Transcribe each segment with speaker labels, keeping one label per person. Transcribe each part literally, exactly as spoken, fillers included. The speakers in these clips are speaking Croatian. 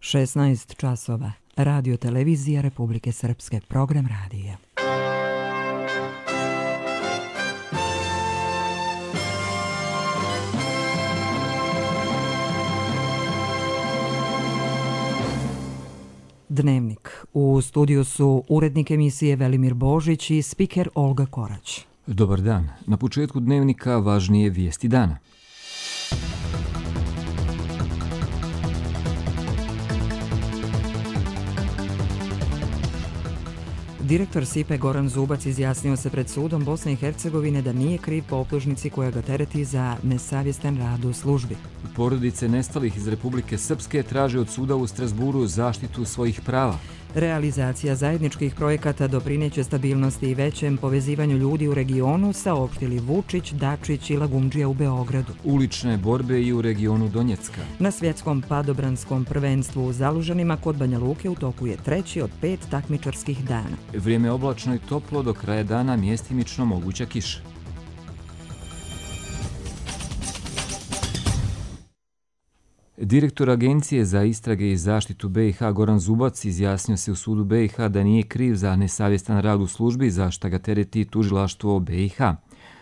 Speaker 1: šesnaest časova. Radio televizija Republike Srpske. Program radija. Dnevnik. U studiju su urednik emisije Velimir Božić i spiker Olga Korać.
Speaker 2: Dobar dan. Na početku dnevnika važnije vijesti dana.
Speaker 1: Direktor S I P E Goran Zubac izjasnio se pred sudom Bosne i Hercegovine da nije kriv po optužnici koja ga tereti za nesavjestan rad u službi.
Speaker 2: Porodice nestalih iz Republike Srpske traže od suda u Strasburu zaštitu svojih prava.
Speaker 1: Realizacija zajedničkih projekata doprineće stabilnosti i većem povezivanju ljudi u regionu, saopštili Vučić, Dačić i Lagumdžija u Beogradu.
Speaker 2: Ulične borbe i u regionu Donjecka.
Speaker 1: Na svjetskom padobranskom prvenstvu u Zalužanima kod Banja Luke u toku je treći od pet takmičarskih dana.
Speaker 2: Vrijeme oblačno i toplo, do kraja dana mjestimično moguća kiša. Direktor Agencije za istrage i zaštitu B i H Goran Zubac izjasnio se u sudu B i H da nije kriv za nesavjestan rad u službi, za šta ga tereti tužilaštvo B i H.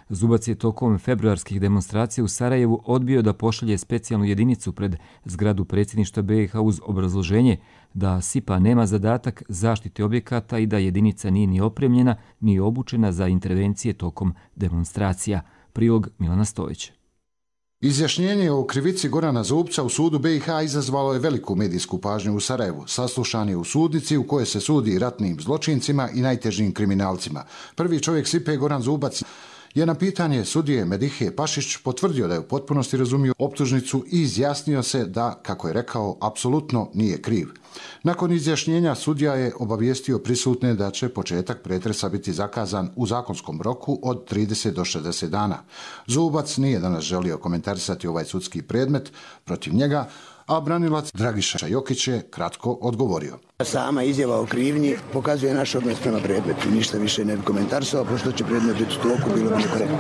Speaker 2: Zubac je tokom februarskih demonstracija u Sarajevu odbio da pošalje specijalnu jedinicu pred zgradu predsjedništva B i H uz obrazloženje da S I P A nema zadatak zaštite objekata i da jedinica nije ni opremljena ni obučena za intervencije tokom demonstracija. Prilog Milana Stojića.
Speaker 3: Izjašnjenje o krivici Gorana Zubca u sudu B i H izazvalo je veliku medijsku pažnju u Sarajevu. Saslušan je u sudnici u kojoj se sudi ratnim zločincima i najtežim kriminalcima. Prvi čovjek S I P E Goran Zubac je na pitanje sudije Medihe Pašić potvrdio da je u potpunosti razumio optužnicu i izjasnio se da, kako je rekao, apsolutno nije kriv. Nakon izjašnjenja sudija je obavijestio prisutne da će početak pretresa biti zakazan u zakonskom roku od trideset do šezdeset dana. Zubac nije danas želio komentarisati ovaj sudski predmet protiv njega, a branilac Dragiša Jokić je kratko odgovorio.
Speaker 4: Sama izjava o krivnji pokazuje naš odnos prema predmetu. Ništa više ne bi komentarisao, pošto će predmet biti u toku, bilo bi nekorektno.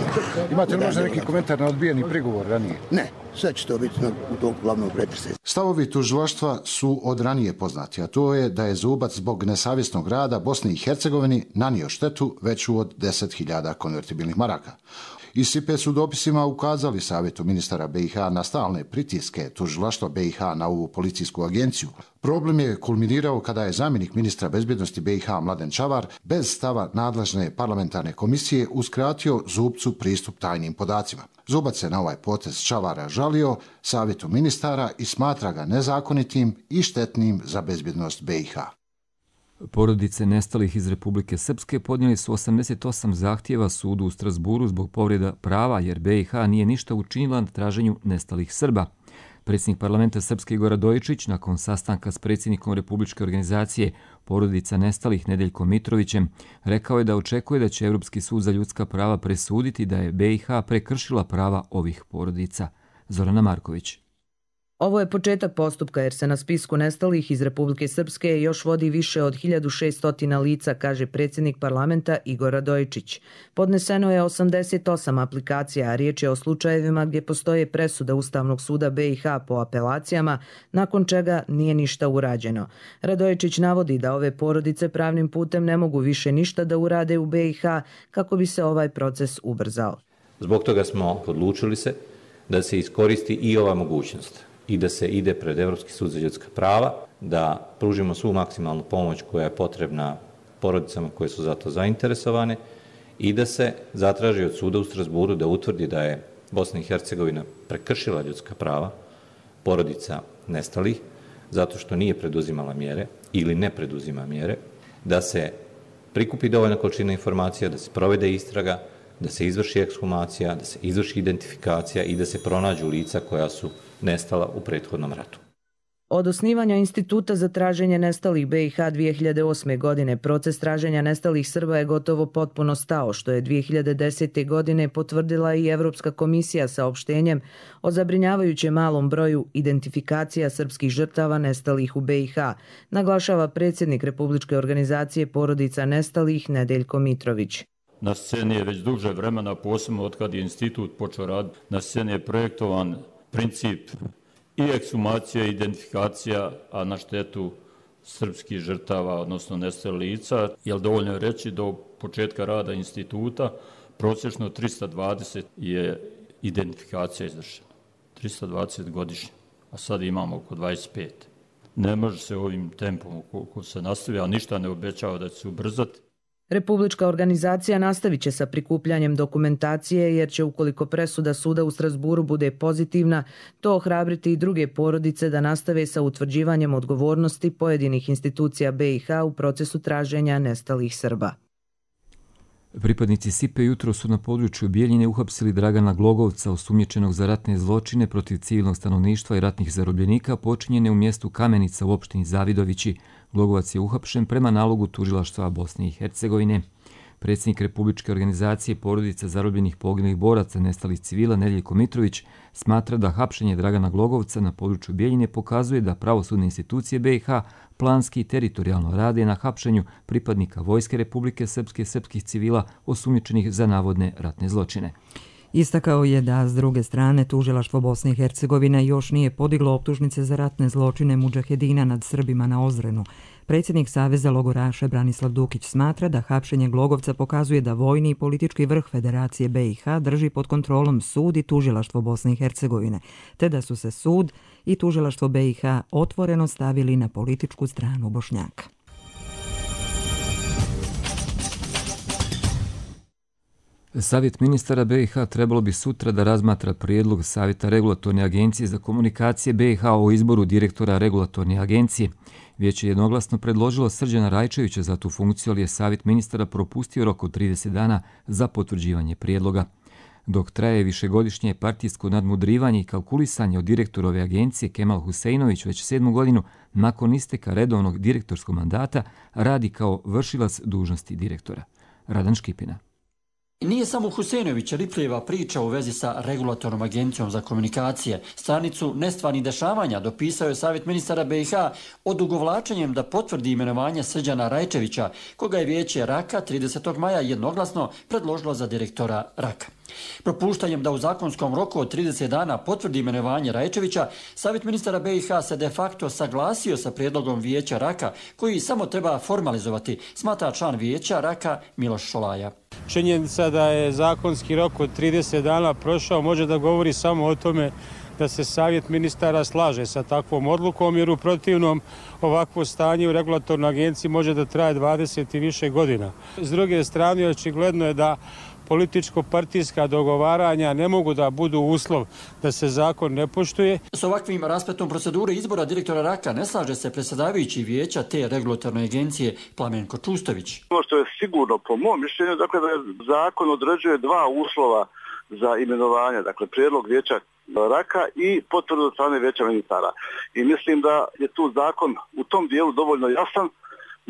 Speaker 3: Imate li možda neki komentar na odbijeni prigovor ranije?
Speaker 4: Ne, sve će to biti u toku glavnog pretresa.
Speaker 3: Stavovi tužilaštva su od ranije poznati, a to je da je Zubac zbog nesavjesnog rada Bosni i Hercegovini nanio štetu veću od deset hiljada konvertibilnih maraka. Iz S I P E su dopisima ukazali Savjetu ministara B i H na stalne pritiske tužilaštva B i H na ovu policijsku agenciju. Problem je kulminirao kada je zamjenik ministra bezbjednosti B i H Mladen Čavar bez stava nadležne parlamentarne komisije uskratio Zubcu pristup tajnim podacima. Zubac se na ovaj potez Čavara žalio Savjetu ministara i smatra ga nezakonitim i štetnim za bezbjednost B i H.
Speaker 2: Porodice nestalih iz Republike Srpske podnijeli su osamdeset osam zahtjeva sudu u Strasburu zbog povreda prava, jer B i H nije ništa učinila na traženju nestalih Srba. Predsjednik parlamenta Srpske Igor Radojičić, nakon sastanka s predsjednikom Republičke organizacije porodica nestalih Nedeljkom Mitrovićem, rekao je da očekuje da će Europski sud za ljudska prava presuditi da je B i H prekršila prava ovih porodica. Zorana Marković.
Speaker 5: Ovo je početak postupka jer se na spisku nestalih iz Republike Srpske još vodi više od hiljadu šesto lica, kaže predsjednik parlamenta Igor Radojičić. Podneseno je osamdeset osam aplikacija, a riječ je o slučajevima gdje postoje presuda Ustavnog suda B i H po apelacijama, nakon čega nije ništa urađeno. Radojičić navodi da ove porodice pravnim putem ne mogu više ništa da urade u B i H kako bi se ovaj proces ubrzao.
Speaker 6: Zbog toga smo odlučili se da se iskoristi i ova mogućnost i da se ide pred Europski sud za ljudska prava, da pružimo svu maksimalnu pomoć koja je potrebna porodicama koje su za to zainteresovane i da se zatraži od suda u Strasburu da utvrdi da je Bosna i Hercegovina prekršila ljudska prava porodica nestalih zato što nije preduzimala mjere ili ne preduzima mjere, da se prikupi dovoljna količina informacija, da se provede istraga, da se izvrši ekshumacija, da se izvrši identifikacija i da se pronađu lica koja su nestala u prethodnom ratu.
Speaker 5: Od osnivanja Instituta za traženje nestalih B i H dvije hiljade osme. godine proces traženja nestalih Srba je gotovo potpuno stao, što je dvije hiljade desete. godine potvrdila i Evropska komisija saopštenjem o zabrinjavajuće malom broju identifikacija srpskih žrtava nestalih u B i H, naglašava predsjednik Republičke organizacije porodica nestalih Nedeljko Mitrović.
Speaker 7: Na sceni je već duže vremena, posebno od kad je institut počeo raditi, na sceni je projektovan princip i ekshumacija i identifikacija, a na štetu srpskih žrtava, odnosno nestalih lica, jer dovoljno je reći do početka rada instituta prosječno trista dvadeset je identifikacija izvršena. trista dvadeset godišnje, a sad imamo oko dvadeset pet. Ne može se ovim tempom koliko se nastavi, a ništa ne obećava da će se ubrzati.
Speaker 5: Republička organizacija nastavit će sa prikupljanjem dokumentacije jer će, ukoliko presuda suda u Strasburu bude pozitivna, to ohrabriti i druge porodice da nastave sa utvrđivanjem odgovornosti pojedinih institucija B i H u procesu traženja nestalih Srba.
Speaker 2: Pripadnici S I P-a jutro su na području Bijeljine uhapsili Dragana Glogovca, osumnjičenog za ratne zločine protiv civilnog stanovništva i ratnih zarobljenika počinjene u mjestu Kamenica u opštini Zavidovići. Glogovac je uhapšen prema nalogu tužilaštva Bosne i Hercegovine. Predsjednik Republičke organizacije porodica zarobljenih poginulih boraca nestalih civila Nedeljko Mitrović smatra da hapšenje Dragana Glogovca na području Bijeljine pokazuje da pravosudne institucije B i H planski i teritorijalno rade na hapšenju pripadnika Vojske Republike Srpske srpskih civila osumnjičenih za navodne ratne zločine.
Speaker 1: Istakao je da, s druge strane, tužilaštvo Bosne i Hercegovine još nije podiglo optužnice za ratne zločine mudžahedina nad Srbima na Ozrenu. Predsjednik Saveza logoraša Branislav Dukić smatra da hapšenje Glogovca pokazuje da vojni i politički vrh Federacije B i H drži pod kontrolom sud i tužilaštvo Bosne i Hercegovine, te da su se sud i tužilaštvo B i H otvoreno stavili na političku stranu Bošnjaka.
Speaker 2: Savjet ministara B i H trebalo bi sutra da razmatra prijedlog Savjeta regulatorne agencije za komunikacije B i H o izboru direktora regulatorne agencije. Vijeće je jednoglasno predložilo Srđana Rajčevića za tu funkciju, ali je Savjet ministara propustio rok od trideset dana za potvrđivanje prijedloga. Dok traje višegodišnje partijsko nadmudrivanje i kalkulisanje od direktorove agencije, Kemal Huseinović već sedmu godinu nakon isteka redovnog direktorskog mandata radi kao vršilac dužnosti direktora. Radan Škipina.
Speaker 8: Nije samo Huseinović ripljeva priča u vezi sa regulatornom agencijom za komunikacije. Stranicu nestvarnih dešavanja dopisao je Savjet ministara B i H odugovlačenjem da potvrdi imenovanje Srđana Rajčevića, koga je vijeće Raka tridesetog maja jednoglasno predložilo za direktora Raka. Propuštanjem da u zakonskom roku od trideset dana potvrdi imenovanje Rajčevića, Savjet ministara B i H se de facto saglasio sa prijedlogom vijeća Raka, koji samo treba formalizovati, smatra član vijeća Raka Miloš Šolaja.
Speaker 9: Činjenica da je zakonski rok od trideset dana prošao može da govori samo o tome da se Savjet ministara slaže sa takvom odlukom, jer u protivnom ovakvo stanje u regulatornoj agenciji može da traje dvadeset i više godina. S druge strane, očigledno je da političko-partijska dogovaranja ne mogu da budu uslov da se zakon ne poštuje.
Speaker 8: S ovakvim raspletom procedure izbora direktora Raka ne slaže se predsjedavajući vijeća te regulatorne agencije Plamenko Čustović.
Speaker 10: Ono što je sigurno po mom mišljenju, dakle da je zakon određuje dva uslova za imenovanje, dakle prijedlog vijeća Raka i potvrdu od strane vijeća ministara. I mislim da je tu zakon u tom dijelu dovoljno jasan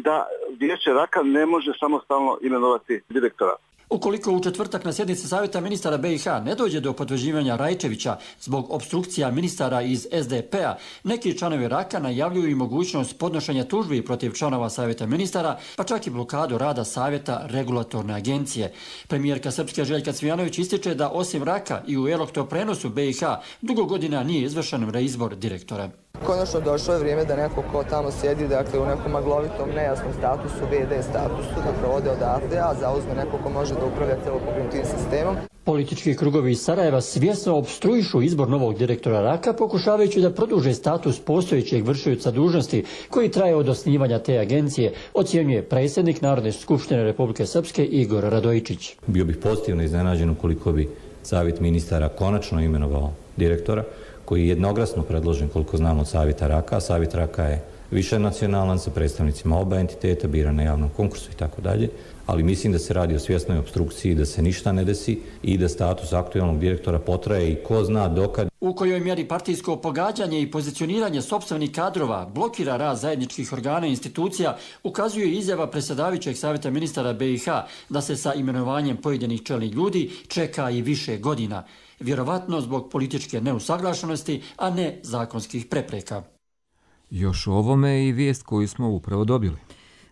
Speaker 10: da vijeće Raka ne može samostalno imenovati direktora.
Speaker 8: Ukoliko u četvrtak na sjednici Savjeta ministara B i H ne dođe do potvrđivanja Rajčevića zbog opstrukcija ministara iz S D P-a, neki članovi Raka najavljuju i mogućnost podnošenja tužbi protiv članova Savjeta ministara, pa čak i blokadu rada Savjeta regulatorne agencije. Premijerka Srpske Željka Cvijanović ističe da osim Raka i u elektroprenosu B i H dugo godina nije izvršen reizbor direktora.
Speaker 11: Konačno došlo je vrijeme da neko ko tamo sjedi, dakle u nekom maglovitom, nejasnom statusu, V D statusu, da provode odatle, a zauzme neko ko može da upravlja celokupnim tim sistemom.
Speaker 8: Politički krugovi iz Sarajeva svjesno opstruišu izbor novog direktora Raka, pokušavajući da produže status postojećeg vršioca dužnosti koji traje od osnivanja te agencije, ocjenjuje predsjednik Narodne skupštine Republike Srpske Igor Radojičić.
Speaker 6: Bio bih pozitivno iznenađen ukoliko bi Savjet ministara konačno imenovao direktora, koji je jednoglasno predložen, koliko znamo, od Savjeta Raka. Savjet Raka je više nacionalan sa predstavnicima oba entiteta, bira na javnom konkursu i tako dalje, ali mislim da se radi o svjesnoj opstrukciji, da se ništa ne desi i da status aktualnog direktora potraje i ko zna dokad.
Speaker 8: U kojoj mjeri partijsko pogađanje i pozicioniranje sopstvenih kadrova blokira rad zajedničkih organa i institucija, ukazuje izjava predsjedavajućeg Savjeta ministara B i H da se sa imenovanjem pojedinih čelnih ljudi čeka i više godina, vjerovatno zbog političke neusaglašenosti, a ne zakonskih prepreka.
Speaker 2: Još o ovome i vijest koju smo upravo dobili.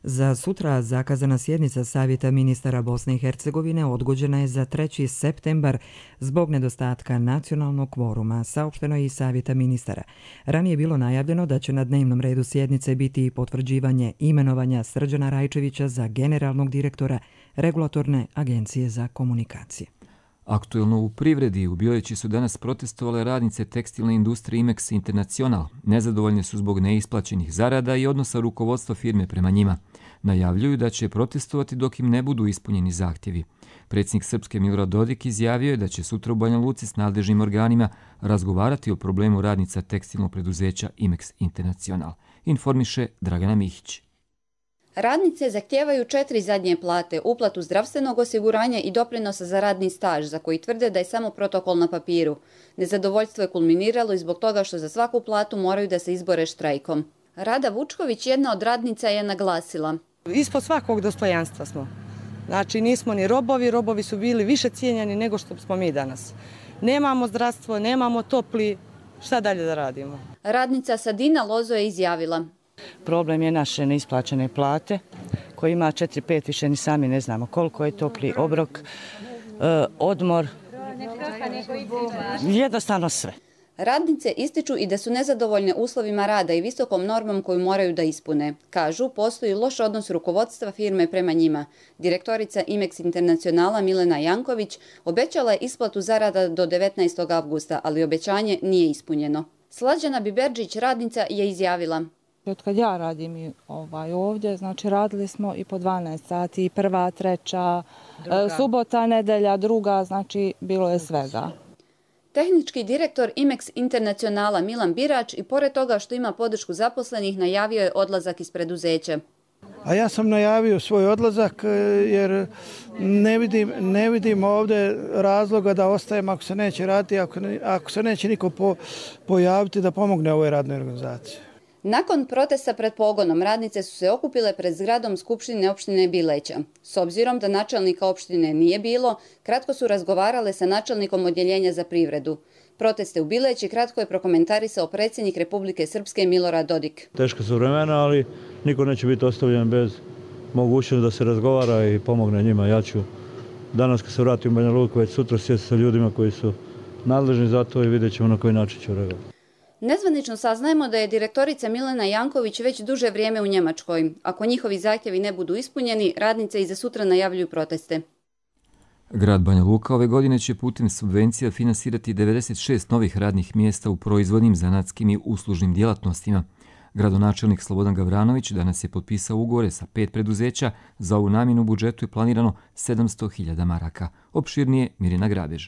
Speaker 1: Za sutra zakazana sjednica Savjeta ministara Bosne i Hercegovine odgođena je za treći septembar zbog nedostatka nacionalnog kvoruma, saopšteno je i Savjeta ministara. Ranije je bilo najavljeno da će na dnevnom redu sjednice biti i potvrđivanje imenovanja Srđana Rajčevića za generalnog direktora Regulatorne agencije za komunikacije.
Speaker 2: Aktuelno u privredi u Bileći su danas protestovale radnice tekstilne industrije Imex International. Nezadovoljne su zbog neisplaćenih zarada i odnosa rukovodstva firme prema njima. Najavljuju da će protestovati dok im ne budu ispunjeni zahtjevi. Predsjednik Srpske Milorad Dodik izjavio je da će sutra u Banja Luci s nadležnim organima razgovarati o problemu radnica tekstilnog preduzeća Imex International. Informiše Dragana Mihić.
Speaker 12: Radnice zahtijevaju četiri zadnje plate, uplatu zdravstvenog osiguranja i doprinosa za radni staž, za koji tvrde da je samo protokol na papiru. Nezadovoljstvo je kulminiralo i zbog toga što za svaku platu moraju da se izbore štrajkom. Rada Vučković, jedna od radnica, je naglasila:
Speaker 13: ispod svakog dostojanstva smo. Znači nismo ni robovi, robovi su bili više cijenjeni nego što smo mi danas. Nemamo zdravstvo, nemamo topli, šta dalje da radimo?
Speaker 12: Radnica Sadina Lozo je izjavila:
Speaker 13: problem je naše neisplaćene plate, koji ima četiri pet, više ni sami ne znamo koliko je, topli obrok, e, odmor, jednostavno sve.
Speaker 12: Radnice ističu i da su nezadovoljne uslovima rada i visokom normom koju moraju da ispune. Kažu, postoji loš odnos rukovodstva firme prema njima. Direktorica Imex Internacionala Milena Janković obećala je isplatu zarada do devetnaestog avgusta, ali obećanje nije ispunjeno. Slađana Biberđić, radnica, je izjavila:
Speaker 14: od kad ja radim ovaj, ovdje, znači radili smo i po dvanaest sati, prva, treća, druga. Subota, nedelja, druga, znači bilo je svega.
Speaker 12: Tehnički direktor Imex Internacionala Milan Birač i pored toga što ima podršku zaposlenih najavio je odlazak iz preduzeća.
Speaker 15: A ja sam najavio svoj odlazak jer ne vidim, ne vidim ovdje razloga da ostajem ako se neće raditi, ako, ne, ako se neće niko po, pojaviti da pomogne ovoj radnoj organizaciji.
Speaker 12: Nakon protesta pred pogonom, radnice su se okupile pred zgradom Skupštine opštine Bileća. S obzirom da načelnika opštine nije bilo, kratko su razgovarale sa načelnikom odjeljenja za privredu. Proteste u Bileći kratko je prokomentarisao predsjednik Republike Srpske Milorad Dodik.
Speaker 16: Teška su vremena, ali niko neće biti ostavljen bez mogućnosti da se razgovara i pomogne njima. Ja ću danas kad se vratim u Banja Luku već sutra sjesti sa ljudima koji su nadležni za to i vidjet ćemo na koji način ću reagovati.
Speaker 12: Nezvanično saznajemo da je direktorica Milena Janković već duže vrijeme u Njemačkoj. Ako njihovi zahtjevi ne budu ispunjeni, radnice i za sutra najavljuju proteste.
Speaker 2: Grad Banja Luka ove godine će putem subvencija finansirati devedeset šest novih radnih mjesta u proizvodnim, zanatskim i uslužnim djelatnostima. Gradonačelnik Slobodan Gavranović danas je potpisao ugovore sa pet preduzeća. Za ovu namjenu u budžetu je planirano sedamsto hiljada maraka. Opširnije Mirina Grabež.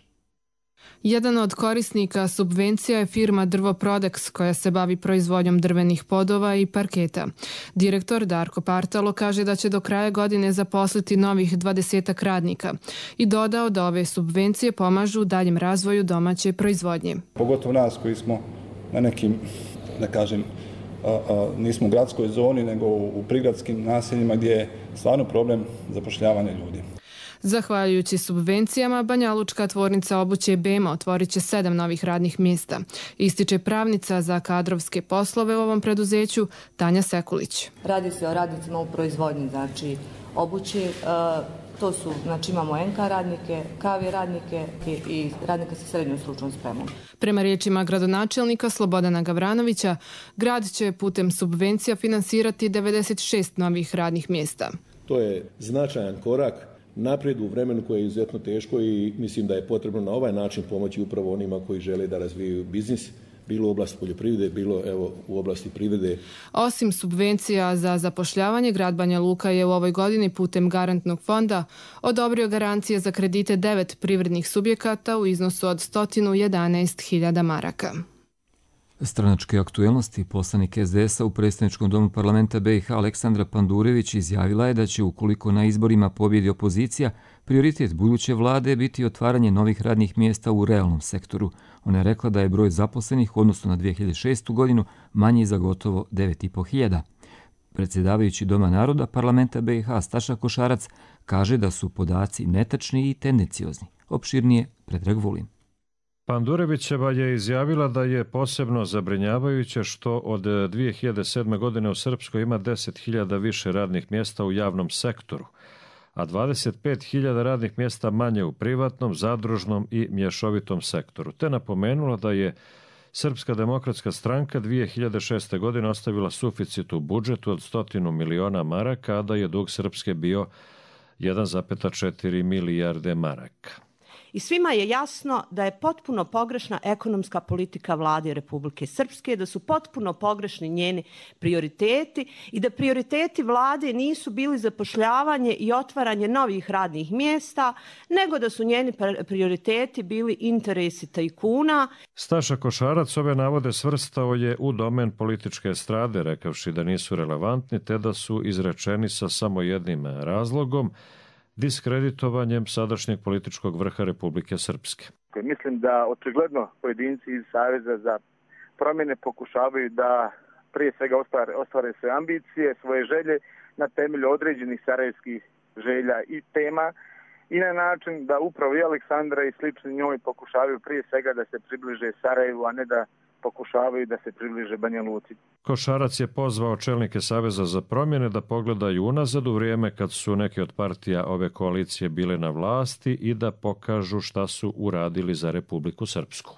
Speaker 17: Jedan od korisnika subvencija je firma Drvoprodex koja se bavi proizvodnjom drvenih podova i parketa. Direktor Darko Partalo kaže da će do kraja godine zaposliti novih dvadesetak radnika i dodao da ove subvencije pomažu u daljem razvoju domaće proizvodnje.
Speaker 18: Pogotovo nas koji smo na nekim, da kažem, a, a, nismo u gradskoj zoni nego u prigradskim naseljima gdje je stvarno problem zapošljavanja ljudi.
Speaker 17: Zahvaljujući subvencijama, Banjalučka tvornica obuće Bema otvorit će sedam novih radnih mjesta. Ističe pravnica za kadrovske poslove u ovom preduzeću Tanja Sekulić.
Speaker 19: Radi se o radnicima u proizvodnji, znači obuće. To su, znači imamo en ka radnike, ka ve radnike i radnike sa srednjom stručnom spremom.
Speaker 17: Prema riječima gradonačelnika Slobodana Gavranovića, grad će putem subvencija finansirati devedeset šest novih radnih mjesta.
Speaker 20: To je značajan korak naprijed u vremenu koje je izuzetno teško i mislim da je potrebno na ovaj način pomoći upravo onima koji žele da razvijaju biznis, bilo u oblasti poljoprivrede, bilo evo u oblasti privrede.
Speaker 17: Osim subvencija za zapošljavanje, grad Banja Luka je u ovoj godini putem garantnog fonda odobrio garancije za kredite devet privrednih subjekata u iznosu od sto jedanaest hiljada maraka.
Speaker 2: Stranačke aktuelnosti poslanik es de esa u predstavničkom domu parlamenta be i ha Aleksandra Pandurević izjavila je da će, ukoliko na izborima pobjedi opozicija, prioritet buduće vlade biti otvaranje novih radnih mjesta u realnom sektoru. Ona je rekla da je broj zaposlenih, odnosno na dvije hiljade šestu godinu, manji za gotovo devet i po hiljada. Predsjedavajući Doma naroda parlamenta be i ha Staša Košarac kaže da su podaci netačni i tendenciozni. Opširnije Predrag Vulin.
Speaker 21: Pandurevićeva je izjavila da je posebno zabrinjavajuće što od dvije hiljade sedme. godine u Srpskoj ima deset hiljada više radnih mjesta u javnom sektoru, a dvadeset pet hiljada radnih mjesta manje u privatnom, zadružnom i mješovitom sektoru. Te napomenula da je Srpska demokratska stranka dvije hiljade šeste. godine ostavila suficit u budžetu od stotinu miliona maraka, a da je dug Srpske bio jedan zarez četiri milijarde maraka.
Speaker 22: I svima je jasno da je potpuno pogrešna ekonomska politika vlade Republike Srpske, da su potpuno pogrešni njeni prioriteti i da prioriteti vlade nisu bili zapošljavanje i otvaranje novih radnih mjesta, nego da su njeni prioriteti bili interesi tajkuna.
Speaker 21: Staša Košarac ove navode svrstao je u domen političke estrade, rekavši da nisu relevantni te da su izrečeni sa samo jednim razlogom, diskreditovanjem sadašnjeg političkog vrha Republike Srpske.
Speaker 23: Mislim da očigledno pojedinci iz Saveza za promjene pokušavaju da prije svega ostvare, ostvare svoje ambicije, svoje želje na temelju određenih sarajevskih želja i tema i na način da upravo i Aleksandra i slični njoj pokušavaju prije svega da se približe Sarajevu, a ne da pokušavaju da se približe Banja Luci.
Speaker 21: Košarac je pozvao čelnike Saveza za promjene da pogledaju unazad u vrijeme kad su neke od partija ove koalicije bile na vlasti i da pokažu šta su uradili za Republiku Srpsku.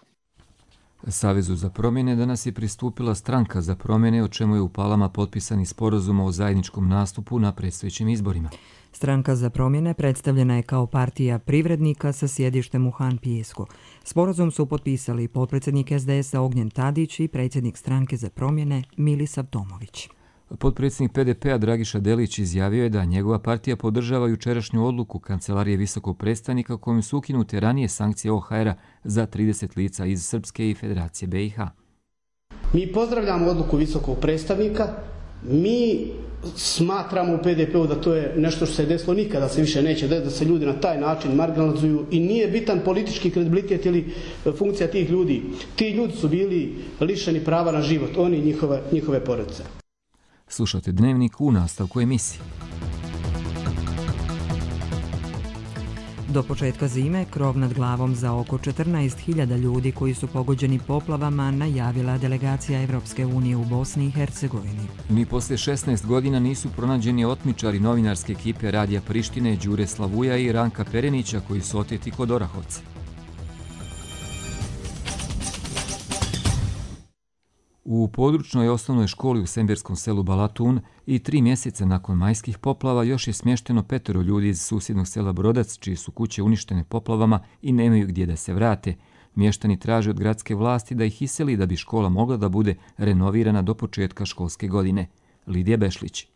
Speaker 2: Savezu za promjene danas je pristupila Stranka za promjene, o čemu je u Palama potpisani sporazum o zajedničkom nastupu na predstojećim izborima.
Speaker 1: Stranka za promjene predstavljena je kao partija privrednika sa sjedištem u Han Pijesku. Sporazum su potpisali potpredsjednik es de es-a Ognjen Tadić i predsjednik Stranke za promjene Milisav Tomović.
Speaker 2: Potpredsjednik pe de pe-a Dragiša Delić izjavio je da njegova partija podržava jučerašnju odluku Kancelarije visokog predstavnika kojom su ukinute ranije sankcije o ha er-a za trideset lica iz Srpske i Federacije be i ha.
Speaker 24: Mi pozdravljamo odluku visokog predstavnika. Mi smatramo u pe de pe-u da to je nešto što se desilo nikada se više neće desiti, da se ljudi na taj način marginalizuju i nije bitan politički kredibilitet ili funkcija tih ljudi. Ti ljudi su bili lišeni prava na život, oni i njihove, njihove porodice.
Speaker 2: Slušate Dnevnik u nastavku emisije.
Speaker 1: Do početka zime krov nad glavom za oko četrnaest hiljada ljudi koji su pogođeni poplavama najavila delegacija Evropske unije u Bosni i Hercegovini.
Speaker 2: Ni poslije šesnaest godina nisu pronađeni otmičari novinarske ekipe Radija Prištine Đure Slavuja i Ranka Perenića koji su oteti kod Orahovca. U područnoj osnovnoj školi u semberskom selu Balatun i tri mjeseca nakon majskih poplava još je smješteno petero ljudi iz susjednog sela Brodac, čije su kuće uništene poplavama i nemaju gdje da se vrate. Mještani traže od gradske vlasti da ih iseli da bi škola mogla da bude renovirana do početka školske godine. Lidija Bešlić.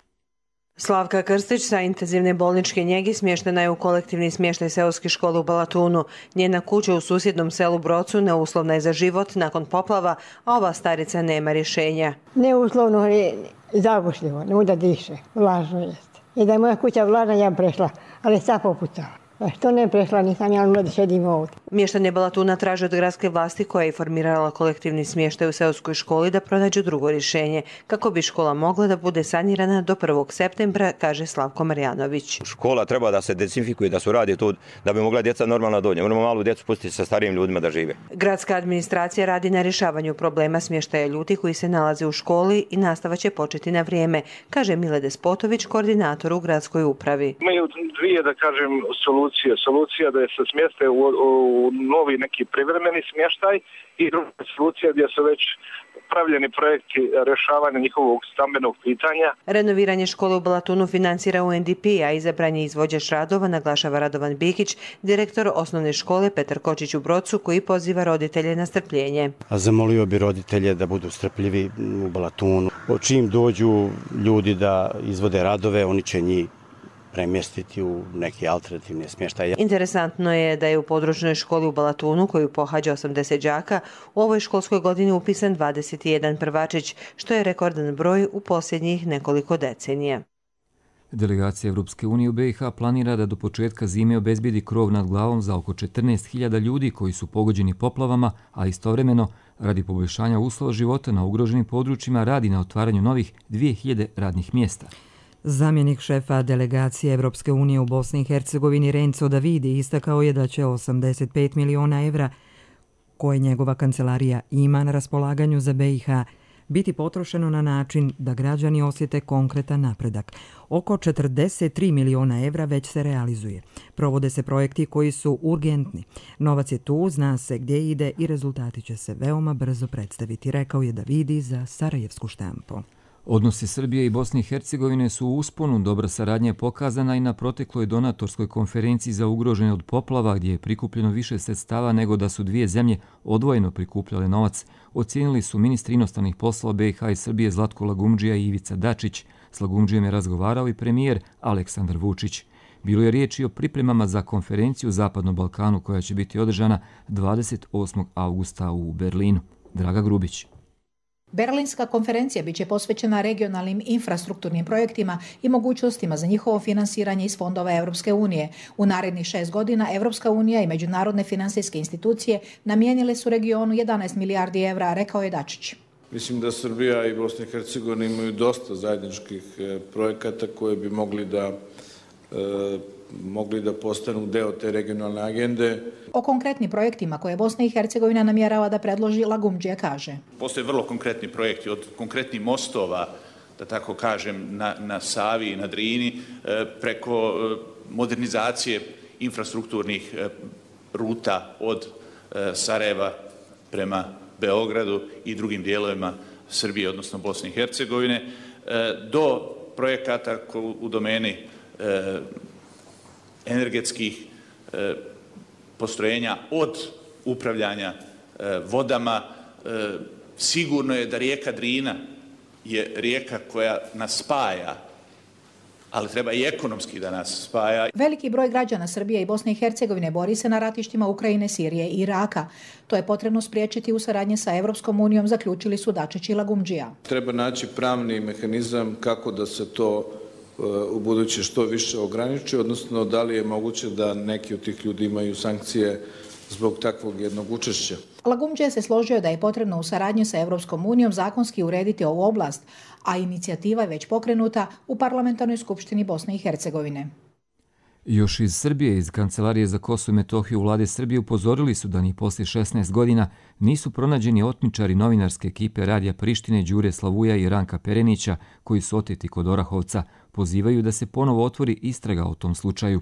Speaker 25: Slavka Krstić sa intenzivne bolničke njegi smještena je u kolektivni smještaj seoske škole u Balatunu. Njena kuća u susjednom selu Brocu neuslovna je za život nakon poplava, a ova starica nema rješenja.
Speaker 26: Neuslovno je zagušljivo, ne da diše, vlažno jeste. I da je moja kuća vlažna, ja prešla, ali sad popucala. Što ne prešla, nisam ja da šedim ovdje.
Speaker 25: Mještani Balatuna traže od gradske vlasti koja je formirala kolektivni smještaj u seoskoj školi da pronađu drugo rješenje, kako bi škola mogla da bude sanirana do prvog septembra, kaže Slavko Marjanović.
Speaker 27: Škola treba da se dezinfikuje, da se radi tu, da bi mogla djeca normalno dođe. Moramo malu djecu pustiti sa starijim ljudima da žive.
Speaker 25: Gradska administracija radi na rješavanju problema smještaja ljudi koji se nalaze u školi i nastava će početi na vrijeme, kaže Mile Despotović, koordinator u gradskoj upravi.
Speaker 10: Imaju dvije, da kažem, solucije. Solucija da je se smjeste u, u novi neki privremeni smještaj i druga solucija gdje su već pravljeni projekti rješavanja njihovog stambenog pitanja.
Speaker 25: Renoviranje škole u Balatunu financira u en de pe, a izabran je izvođač radova, naglašava Radovan Bikić, direktor osnovne škole Petar Kočić u Brocu, koji poziva roditelje na strpljenje.
Speaker 28: A zamolio bi roditelje da budu strpljivi u Balatunu. Čim dođu ljudi da izvode radove, oni će njih premjestiti u neki alternativni smještaj.
Speaker 25: Interesantno je da je u područnoj školi u Balatunu, koju pohađa osamdeset đaka, u ovoj školskoj godini upisan dvadeset jedan prvačić, što je rekordan broj u posljednjih nekoliko decenija.
Speaker 2: Delegacija Evropske unije u be i ha planira da do početka zime obezbijedi krov nad glavom za oko četrnaest hiljada ljudi koji su pogođeni poplavama, a istovremeno, radi poboljšanja uslova života na ugroženim područjima, radi na otvaranju novih dvije hiljade radnih mjesta.
Speaker 1: Zamjenik šefa delegacije Evropske unije u Bosni i Hercegovini Renzo Davidi istakao je da će osamdeset pet miliona evra koje njegova kancelarija ima na raspolaganju za B i H biti potrošeno na način da građani osjete konkretan napredak. Oko četrdeset tri miliona evra već se realizuje. Provode se projekti koji su urgentni. Novac je tu, zna se gdje ide i rezultati će se veoma brzo predstaviti, rekao je Davidi za Sarajevsku štampu.
Speaker 2: Odnosi Srbije i Bosne i Hercegovine su u usponu, dobra saradnja je pokazana i na protekloj donatorskoj konferenciji za ugrožene od poplava, gdje je prikupljeno više sredstava nego da su dvije zemlje odvojeno prikupljale novac, ocijenili su ministri inostranih poslova B i H i Srbije Zlatko Lagumdžija i Ivica Dačić. S Lagumdžijem je razgovarao i premijer Aleksandar Vučić. Bilo je riječ i o pripremama za konferenciju u Zapadnom Balkanu koja će biti održana dvadeset osmog avgusta u Berlinu. Draga Grubić.
Speaker 3: Berlinska konferencija biće posvećena regionalnim infrastrukturnim projektima i mogućnostima za njihovo finansiranje iz fondova Evropske unije. U narednih šest godina Evropska unija i međunarodne finansijske institucije namijenile su regionu jedanaest milijardi evra, rekao je Dačić.
Speaker 4: Mislim da Srbija i Bosna i Hercegovina imaju dosta zajedničkih projekata koje bi mogli da e, mogli da postanu deo te regionalne agende.
Speaker 3: O konkretnim projektima koje Bosna i Hercegovina namjerava da predloži, Lagumdžija kaže.
Speaker 5: Postoje vrlo konkretni projekti, od konkretnih mostova, da tako kažem, na, na Savi i na Drini, preko modernizacije infrastrukturnih ruta od Sarajeva prema Beogradu i drugim dijelovima Srbije, odnosno Bosne i Hercegovine, do projekata u domeni energetskih e, postrojenja, od upravljanja e, vodama. E, sigurno je da rijeka Drina je rijeka koja nas spaja, ali treba i ekonomski da nas spaja.
Speaker 3: Veliki broj građana Srbije i Bosne i Hercegovine bori se na ratištima Ukrajine, Sirije i Iraka. To je potrebno spriječiti u saradnji sa Evropskom unijom, zaključili su Dačić i Lagumdžija.
Speaker 4: Treba naći pravni mehanizam kako da se to u buduće što više ograniči, odnosno da li je moguće da neki od tih ljudi imaju sankcije zbog takvog jednog učešća.
Speaker 3: Lagumdžija se složio da je potrebno u saradnji sa Evropskom unijom zakonski urediti ovu oblast, a inicijativa je već pokrenuta u Parlamentarnoj skupštini Bosne i Hercegovine.
Speaker 2: Još iz Srbije, iz Kancelarije za Kosovo i Metohiju vlade Srbije upozorili su da ni poslije šesnaest godina nisu pronađeni otmičari novinarske ekipe Radija Prištine Đure Slavuja i Ranka Perenića koji su oteti kod Orahovca. Pozivaju da se ponovo otvori istraga o tom slučaju.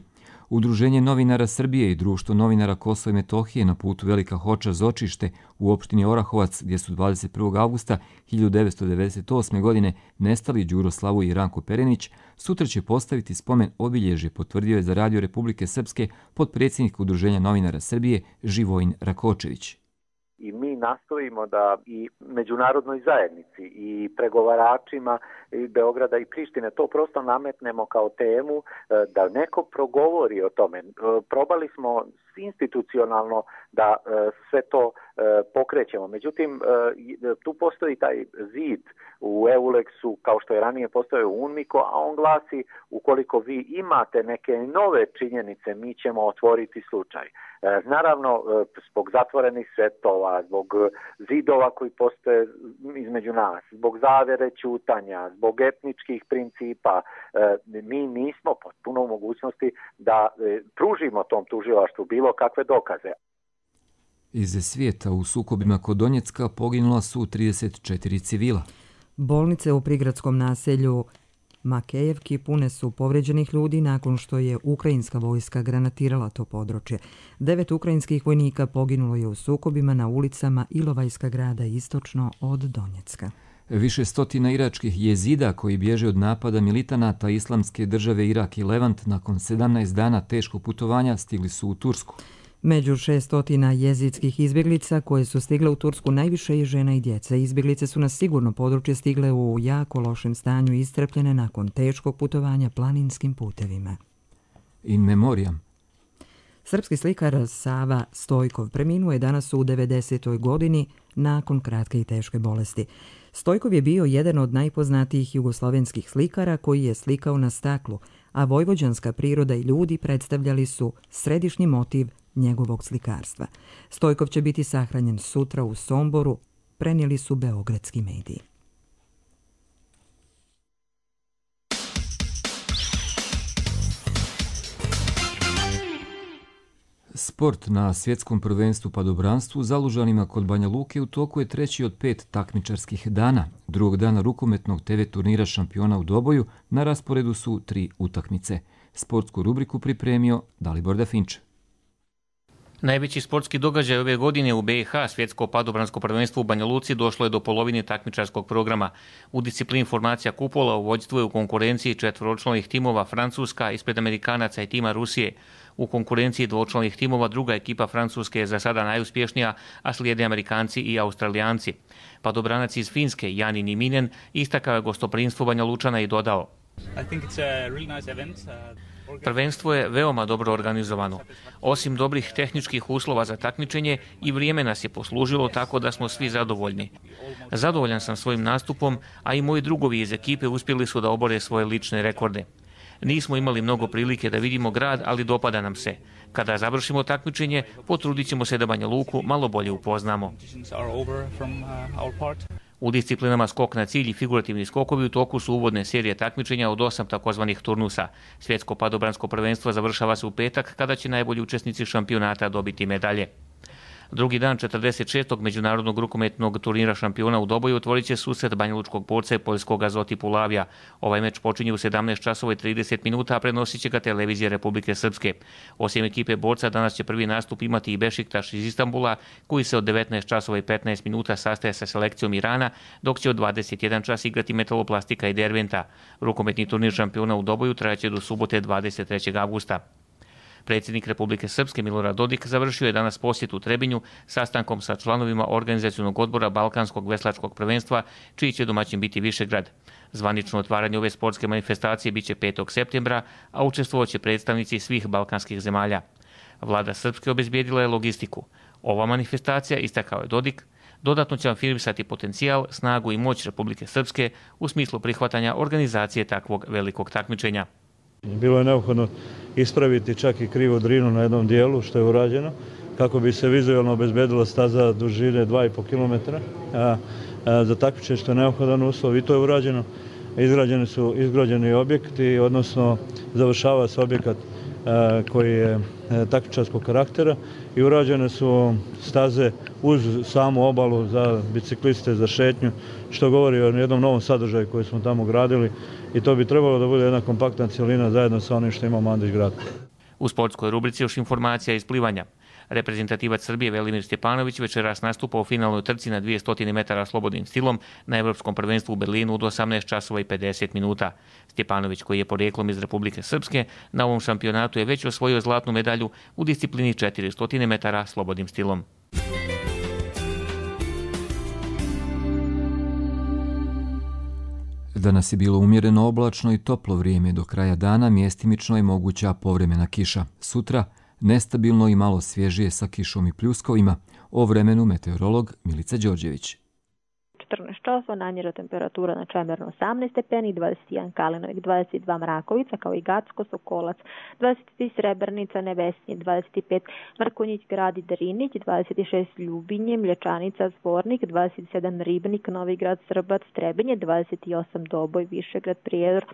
Speaker 2: Udruženje novinara Srbije i Društvo novinara Kosova i Metohije na putu Velika Hoča Zočište u opštini Orahovac, gdje su dvadeset prvog avgusta hiljadu devetsto devedeset osme. godine nestali Đuro Slavuj i Ranko Perenić, sutra će postaviti spomen obilježje, potvrdio je za Radio Republike Srpske potpredsjednik Udruženja novinara Srbije Živojin Rakočević.
Speaker 6: I mi nastojimo da i međunarodnoj zajednici i pregovaračima i Beograda i Prištine to prosto nametnemo kao temu, da neko progovori o tome. Probali smo institucionalno da sve to pokrećemo. Međutim, tu postoji taj zid u EULEX-u, kao što je ranije postojao u UNMIKO, a on glasi: ukoliko vi imate neke nove činjenice, mi ćemo otvoriti slučaj. Naravno, zbog zatvorenih svetova, zbog zidova koji postoje između nas, zbog zavere ćutanja, zbog etničkih principa, mi nismo potpuno u mogućnosti da pružimo tom tužilaštvu bilo kakve dokaze.
Speaker 2: Iz svijeta u sukobima kod Donjecka poginula su trideset četiri civila.
Speaker 1: Bolnice u prigradskom naselju Makejevki pune su povređenih ljudi nakon što je ukrajinska vojska granatirala to područje. Devet ukrajinskih vojnika poginulo je u sukobima na ulicama Ilovajska grada istočno od Donjecka.
Speaker 2: Više stotina iračkih jezida koji bježe od napada militanata Islamske države Irak i Levant nakon sedamnaest dana teškog putovanja stigli su u Tursku.
Speaker 1: Među šestotina jezidskih izbjeglica koje su stigle u Tursku najviše je žena i djeca. Izbjeglice su na sigurno područje stigle u jako lošem stanju i iscrpljene nakon teškog putovanja planinskim putevima.
Speaker 2: In memoriam.
Speaker 1: Srpski slikar Sava Stojkov preminuo je danas u devedesetoj godini nakon kratke i teške bolesti. Stojkov je bio jedan od najpoznatijih jugoslovenskih slikara koji je slikao na staklu, a vojvođanska priroda i ljudi predstavljali su središnji motiv njegovog slikarstva. Stojkov će biti sahranjen sutra u Somboru, prenijeli su beogradski mediji.
Speaker 2: Sport na svjetskom prvenstvu padobranstvu za Lužanima kod Banja Luke u toku je treći od pet takmičarskih dana. Drugog dana rukometnog te ve turnira šampiona u Doboju na rasporedu su tri utakmice. Sportsku rubriku pripremio Dalibor Dafinče.
Speaker 7: Najveći sportski događaj ove godine u be i ha, svjetsko padobransko prvenstvo u Banja Luci, došlo je do polovine takmičarskog programa. U disciplini formacija kupola u vođstvu je u konkurenciji četvoročlanih timova Francuska ispred Amerikanaca i tima Rusije. U konkurenciji dvočlanih timova druga ekipa Francuske je za sada najuspješnija, a slijede Amerikanci i Australijanci. Padobranac iz Finske, Jani Niminen, istakao je gostoprinstvo Banja Lučana i dodao: Prvenstvo je veoma dobro organizovano. Osim dobrih tehničkih uslova za takmičenje, i vrijeme nas je poslužilo tako da smo svi zadovoljni. Zadovoljan sam svojim nastupom, a i moji drugovi iz ekipe uspjeli su da obore svoje lične rekorde. Nismo imali mnogo prilike da vidimo grad, ali dopada nam se. Kada završimo takmičenje, potrudit ćemo se da Banja Luku malo bolje upoznamo. U disciplinama skok na cilj i figurativni skokovi u toku su uvodne serije takmičenja od osam takozvanih turnusa. Svjetsko padobransko prvenstvo završava se u petak, kada će najbolji učesnici šampionata dobiti medalje. Drugi dan četrdeset šestog međunarodnog rukometnog turnira šampiona u Doboju otvorit će susret banjalučkog borca i poljskog Azoti Pulavija. Ovaj meč počinje u sedamnaest časova i trideset minuta, a prenosit će ga televizija Republike Srpske. Osim ekipe borca, danas će prvi nastup imati i Bešiktaš iz Istanbula, koji se od devetnaest časova i petnaest minuta sastaje sa selekcijom Irana, dok će od dvadeset jedan čas igrati Metaloplastika i Derventa. Rukometni turnir šampiona u Doboju trajaće do subote dvadeset trećeg avgusta. Predsjednik Republike Srpske Milorad Dodik završio je danas posjet u Trebinju sastankom sa članovima organizacionog odbora Balkanskog veslačkog prvenstva, čiji će domaćin biti Višegrad. Zvanično otvaranje ove sportske manifestacije biće petog septembra, a učestvovat će predstavnici svih balkanskih zemalja. Vlada Srpske obezbijedila je logistiku. Ova manifestacija, istakao je Dodik, dodatno će afirmisati potencijal, snagu i moć Republike Srpske u smislu prihvatanja organizacije takvog velikog takmičenja.
Speaker 8: Bilo je neophodno ispraviti čak i krivu drinu na jednom dijelu, što je urađeno, kako bi se vizualno obezbedila staza dužine dva i po kilometra za takmičenje, što je neophodan uslov, i to je urađeno. Izgrađeni su izgrađeni objekti, odnosno završava se objekat koji je takmičarskog karaktera i urađene su staze uz samu obalu za bicikliste, za šetnju, što govori o jednom novom sadržaju koji smo tamo gradili, i to bi trebalo da bude jedna kompaktna cijelina zajedno sa onim što ima Mandić grad.
Speaker 7: U sportskoj rubrici još informacija iz plivanja. Reprezentativac Srbije Velimir Stjepanović večeras nastupa u finalnoj trci na dvjesto metara slobodnim stilom na Evropskom prvenstvu u Berlinu od osamnaest časova i pedeset minuta. Stjepanović, koji je porijeklom iz Republike Srpske, na ovom šampionatu je već osvojio zlatnu medalju u disciplini četiristo metara slobodnim stilom.
Speaker 2: Danas je bilo umjereno oblačno i toplo vrijeme. Do kraja dana mjestimično je moguća povremena kiša. Sutra nestabilno i malo svježije sa kišom i pljuskovima. O vremenu meteorolog Milica Đorđević.
Speaker 9: četrnaest časova, najniža temperatura na Čemernu osamnaest stepeni, dvadeset jedan Kalinovik, dvadeset dva Mrakovica, kao i Gacko, Sokolac, dvadeset tri Srebrnica, Nevesinje, dvadeset pet Mrkonjić, Grad i Drinić, dvadeset šest Ljubinje, Mlječanica, Zvornik, dvadeset sedam Ribnik, Novi Grad, Srbac, Trebinje, dvadeset osam Doboj, Višegrad, Prijedor,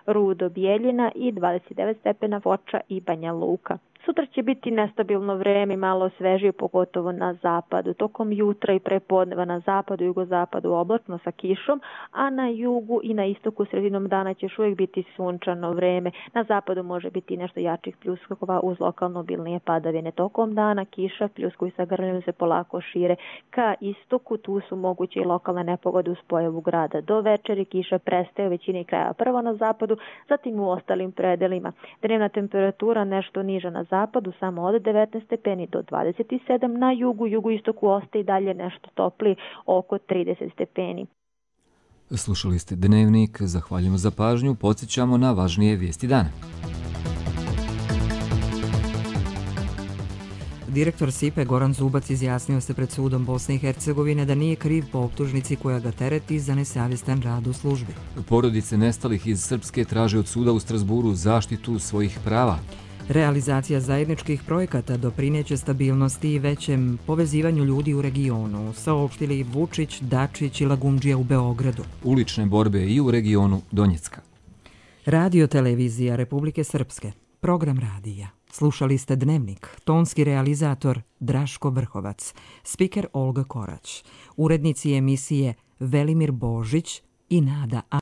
Speaker 9: Rudo, Bijeljina i dvadeset devet stepena Foča i Banja Luka. Sutra će biti nestabilno vreme, malo svežije, pogotovo na zapadu. Tokom jutra i prepodneva na zapadu i jugozapadu oblačno sa kišom, a na jugu i na istoku sredinom dana će još uvijek biti sunčano vreme. Na zapadu može biti nešto jačih pljuskova uz lokalno obilnije padavine. Tokom dana kiša, pljuskovi sa grmljom se polako šire ka istoku, tu su moguće i lokalne nepogode uz pojavu grada. Do večeri kiša prestaje u većini kraja, prvo na zapadu, zatim u ostalim predelima. Dnevna temperatura nešto niža na zapadu, samo od devetnaest stepeni do dvadeset sedam, na jugu, jugoistoku ostaje i dalje nešto toplije, oko trideset stepeni.
Speaker 2: Slušali ste Dnevnik, zahvaljujemo za pažnju, podsjećamo na važnije vijesti dana.
Speaker 1: Direktor S I P E Goran Zubac izjasnio se pred sudom Bosne i Hercegovine da nije kriv po optužnici koja ga tereti za nesavjestan rad u službi.
Speaker 2: Porodice nestalih iz Srpske traže od suda u Strasburu zaštitu svojih prava.
Speaker 1: Realizacija zajedničkih projekata doprineće stabilnosti i većem povezivanju ljudi u regionu, saopštili Vučić, Dačić i Lagundžija u Beogradu.
Speaker 2: Ulične borbe i u regionu Donjecka.
Speaker 1: Radio televizija Republike Srpske. Program radija. Slušali ste Dnevnik, tonski realizator Draško Vrhovac, spiker Olga Korać, urednici emisije Velimir Božić i Nada A.